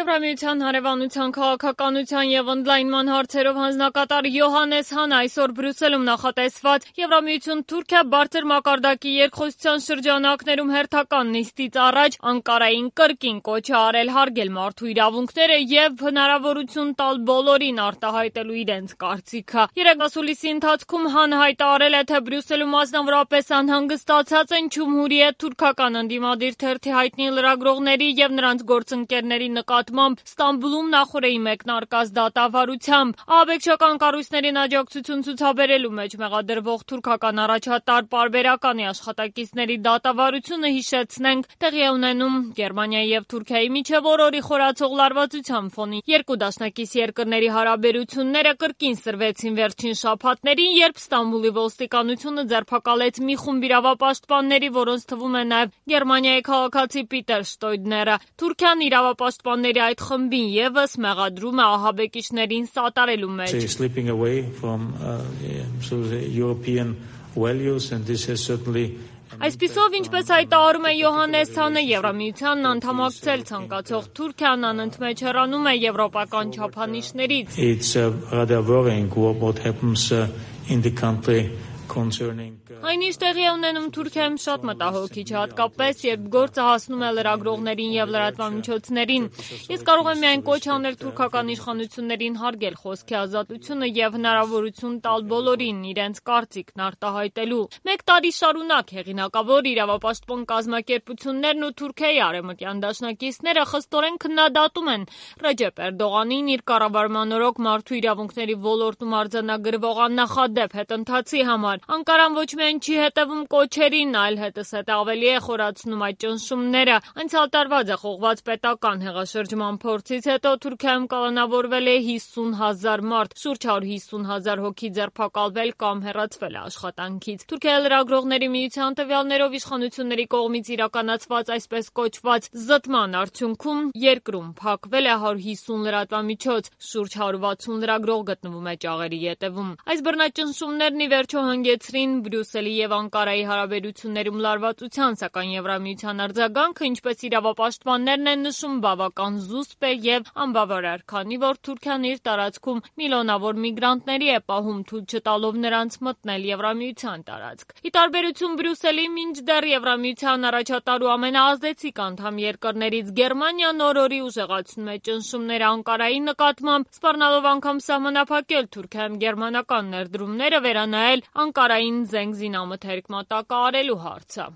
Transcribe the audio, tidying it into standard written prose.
Եվրամիության հարևանության քաղաքականության և ընդլայնման հարցերով հանձնակատար Յոհանես Հանը այսօր Բրյուսելում նախատեսված Եվրամիություն-Թուրքիա բարձր մակարդակի երկխոսության շրջանակներում հերթական նիստից առաջ Անկարային կրկին կոչ է արել հարգել մարդու իրավունքները և հնարավորություն տալ բոլորին արտահայտելու իրենց կարծիքը։ Երեկվասուլիսի ընթացքում Հանը հայտարարել է, թե Բրյուսելում մասնավորապես անհանգստացած են Ջումհուրիե թուրքական ընդդիմադիր թերթի հայտնի լրագրողների և նրանց գործընկերների նկատմամբ Ստամբուլում նախօրեի մեկնարկած դատավարությամբ։ Ահաբեկչական կառույցներին աջակցություն ցուցաբերելու մեջ մեղադրվող թուրքական առաջատար պարբերականի աշխատակիցների դատավարությունը, հիշեցնենք, տեղի է ունենում Գերմանիայի և Թուրքիայի միջև օրորի խորացող լարվածության ֆոնին։ Երկու դաշնակից երկրների հարաբերությունները կրկին սրվեցին վերջին շաբաթներին, երբ Ստամբուլի ոստիկանությունը ձերբակալեց մի խումբ իրավապաշտպանների, որոնց թվում է նաև Գերմանիայի քաղաքացի Պիտեր Շտոյդները։ Թուրքիան իրավապաշտպանների այդ խմբին ևս մեղադրում է ահաբեկիչներին սատարելու մեջ։ Այսպիսով, ինչպես հայտարարում է Յոհանես Հանը, Եվրամիությանն անդամակցել ցանկացող Թուրքիան անընդմեջ հեռանում է եվրոպական չափանիշներից։ Այն ինչ տեղի է ունենում Թուրքիայում շատ մտահոգիչ է, հատկապես երբ գործը հասնում է լրագրողներին և լրատվամիջոցներին։ Ես կարող եմ միայն կոչ անել թուրքական իշխանություններին հարգել խոսքի ազատությունը և հնարավորություն տալ բոլորին իրենց կարծիքն արտահայտելու։ Մեկ տարի շարունակ հեղինակավոր իրավապաշտպան կազմակերպություններն ու Թուրքիայի արևմտյան դաշնակիցները խստորեն քննադատում են Ռեջեփ Էրդողանին իր կառավարման օրոք մարդու իրավունքների ոլորտում արձանագրվող աննախադեպ հետընթացի համար։ Անկարան ոչ միայն չի հետևում կոչերին, այլ հետզհետե ավելի է խորացնում այդ ճնշումները։ Անցյալ տարվա ձախողված պետական հեղաշրջման փորձից հետո Թուրքիայում կալանավորվել է 50,000 մարդ, շուրջ 150,000 հոգի ձերբակալվել կամ հեռացվել է աշխատանքից։ Թուրքիայի լրագրողների միության տվյալներով իշխանությունների կողմից իրականացված այսպես կոչված զտման արդյունքում երկրում փակվել է 150 լրատվամիջոց, շուրջ 160 լրագրող գտնվում է ճաղերի ետևում։ Այս բռնաճնշումներն ի վերջո հանգեցրին Բրյուսելի և Անկարայի հարաբերություններում լարվածության, սակայն Եվրամիության արձագանքը, ինչպես իրավապաշտպաններն են նշում, բավական զուսպ է և անբավարար, քանի որ Թուրքիան իր տարածքում միլիոնավոր միգրանտների է պահում, թույլ չտալով նրանց մտնել Եվրամիության տարածք։ Ի տարբերություն Բրյուսելի, մինչդեռ Եվրամիության առաջատար ու ամենաազդեցիկ անդամ երկրներից Գերմանիան օրորի ուժեղացնում է ճնշումները Անկարայի նկատմամբ, սպառնալով անգամ սահմանափակել Թուրքիայում գերմանական ներդրումները, վերանայել Անկարային զենք զինամթերք մատակարարելու հարցը։